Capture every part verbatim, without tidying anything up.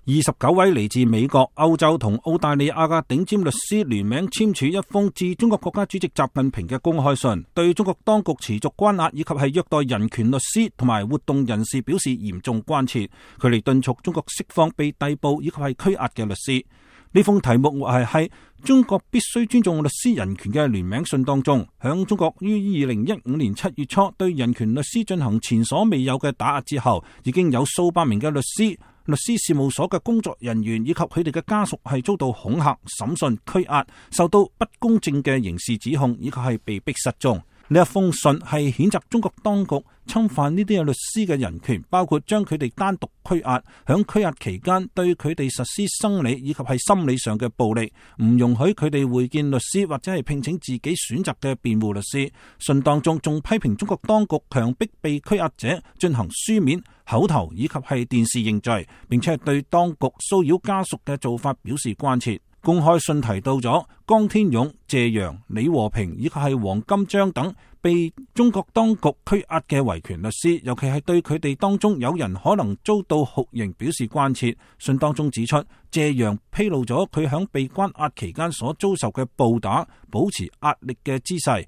二十九位嚟自美國、歐洲同澳大利亞嘅頂尖律師聯名簽署一封致中國國家主席習近平嘅公開信，對中國當局持續關押以及係虐待人權律師同埋活動人士表示嚴重關切。佢哋敦促中國釋放被逮捕以及係拘押嘅律師。呢封題目係喺中國必須尊重律師人權嘅聯名信當中，響中國於二零一五年七月初對人權律師進行前所未有嘅打壓之後，已經有數百名嘅律師、律師事務所嘅工作人員以及佢哋嘅家屬係遭到恐嚇、審訊、拘押，受到不公正嘅刑事指控，以及係被逼失蹤。呢一封信係譴責中國當局侵犯呢啲嘅律師嘅人權，包括將佢哋單獨拘押，響拘押期間對佢哋實施生理以及係心理上嘅暴力，唔容許佢哋會見律師或者係聘請自己選擇嘅辯護律師。信當中仲批評中國當局強迫被拘押者進行書面、口頭以及係電視認罪，並且係對當局騷擾家屬嘅做法表示關切。公開信提到咗江天勇、謝陽、李和平以及係黃金章等被中國當局拘押嘅維權律師，尤其係對佢哋當中有人可能遭到酷刑表示關切。信當中指出，謝陽披露咗佢響被關押期間所遭受嘅暴打、保持壓力嘅姿勢、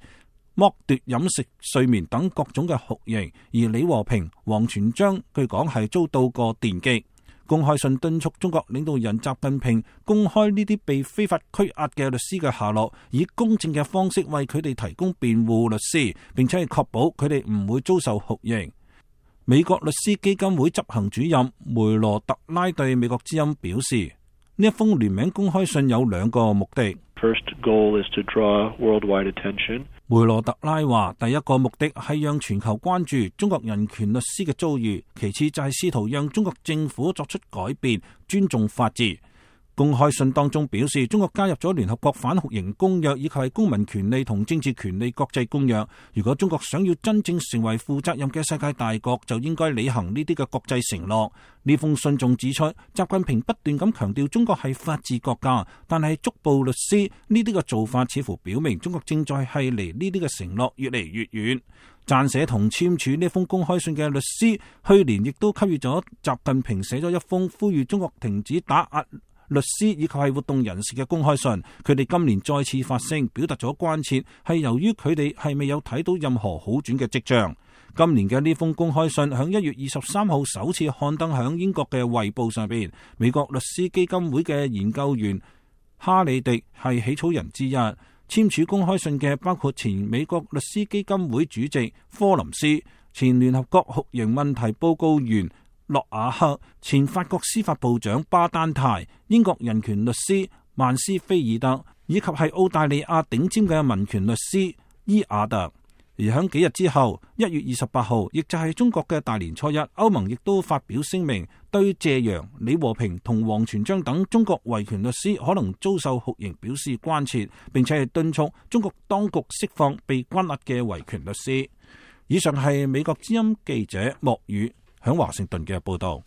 剝奪飲食、睡眠等各種嘅酷刑，而李和平、王全璋據講係遭到過電擊。公開信敦促中國領導人習近平公開呢啲被非法拘押嘅律師嘅下落，以公正嘅方式為佢哋提供辯護律師，並且係確保佢哋唔會遭受酷刑。美國律師基金會執行主任梅羅特拉對美國之音表示，呢一封聯名公開信有兩個目的。First goal is to draw worldwide attention. 梅羅特拉話，第一個目的係讓全球關注中國人權律師嘅遭遇，其次就係試圖讓中國政府作出改變，尊重法治。公開信當中表示，中國加入咗聯合國反酷刑公約以及係公民權利同政治權利國際公約。如果中國想要真正成為負責任嘅世界大國，就應該履行呢啲嘅國際承諾。呢封信仲指出，習近平不斷咁強調中國係法治國家，但係捉捕律師呢啲嘅做法似乎表明中國正在係離呢啲嘅承諾越嚟越遠。撰寫同簽署呢封公開信嘅律師，去年亦都給予咗習近平寫咗一封呼籲中國停止打壓律師以及係活動人士嘅公開信。佢哋今年再次發聲，表達咗關切，係由於佢哋係未有睇到任何好轉嘅跡象。今年嘅呢封公開信響一月二十三號首次刊登響英國嘅《衛報》上邊。美國律師基金會嘅研究員哈里迪係起草人之一。簽署公開信嘅包括前美國律師基金會主席科林斯、前聯合國酷刑問題報告員洛瓦克、前法國司法部長巴丹泰、英國人權律師曼斯菲爾德，以及係澳大利亞頂尖嘅民權律師伊亞特。而喺幾日之後，一月二十八號，亦就係中國嘅大年初一，歐盟亦都發表聲明，對謝陽、李和平同王全璋等中國維權律師可能遭受酷刑表示關切，並且係敦促中國當局釋放被關押嘅維權律師。以上係美國之音記者莫宇響華盛頓嘅報道。